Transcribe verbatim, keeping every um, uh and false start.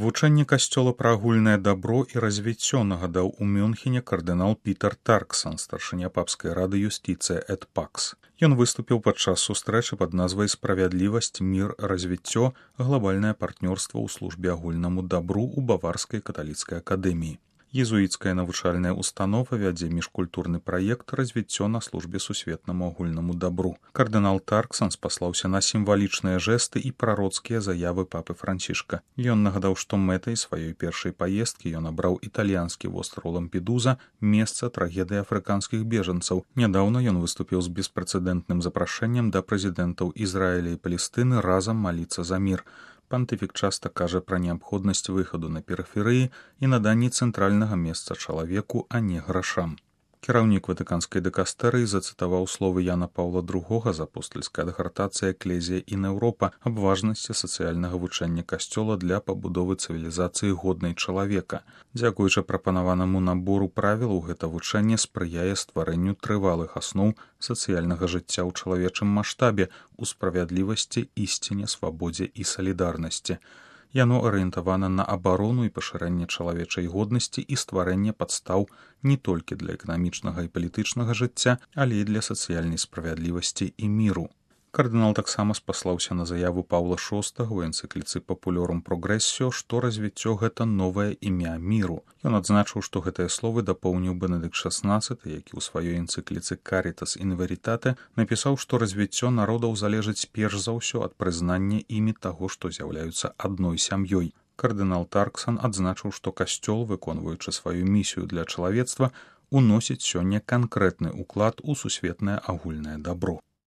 Вучэнне касцёла пра агульнае дабро і развіццё нагадаў у Мюнхене кардынал Пітер Тарксан, старшыня папскай рады юстыцыя эт пакс. Ён выступіў падчас сустрэчы пад назвай «Справядлівасць, мір, развіццё. Глабальнае партнёрства ў службе агульнаму дабру» у Баварскай каталіцкай акадэміі. Езуіцкая навучальная установа вядзе міжкультурны праект «Развіццё на службе сусветнаму агульнаму дабру». Кардынал Тарксан спаслаўся на сімвалічныя жэсты і прароцкія заявы папы Францішка. Ён нагадаў, што мэтай сваёй першай паездкі ён абраў італьянскі востраў Лампедуза, месца трагедыі афрыканскіх бежанцаў. Нядаўна ён выступіў з беспрэцэдэнтным запрашэннем да прэзідэнтаў Ізраіля і Палестыны разам маліцца за мір. Пантыфік часта кажа пра неабходнасць выхаду на перыферыі і наданні цэнтральнага месца чалавеку, а не грашам. Кіраўнік ватыканскай дыкастэрыі зацытаваў словы Яна Паўла другога з апостальскай адгартацыі «Эклезія і Еўропа» аб важнасці сацыяльнага вучэння касцёла для пабудовы цывілізацыі годнай чалавека. Дзякуючы прапанаванаму набору правілаў, гэта вучэнне спрыяе стварэнню трывалых асноў сацыяльнага жыцця ў чалавечым маштабе, у справядлівасці, ісціне, свабодзе і салідарнасці. Яно арыентавана на абарону і пашырэнне чалавечай годнасці і стварэнне падстаў не толькі для эканамічнага і палітычнага жыцця, але і для сацыяльнай справядлівасці і міру. Кардынал таксама спаслаўся на заяву Паўла шостага ў энцыкліцы «Папулёрум прогрэссіо», што развіццё гэта новае імя міру. Ён адзначыў, што гэтыя словы дапоўніў Бенедыкт шаснаццаты, які ў сваёй энцыкліцы «Карітас ін верітате» напісаў, што развіццё народаў залежыць перш за ўсё ад прызнання імі таго, што з'яўляюцца адной сям'ёй. Кардынал Тарксан адзначыў, што касцёл, выконваючы сваю місію для чалавецтва, уносіць сёння канкрэтны ўклад у сусветнае агульнае дабро.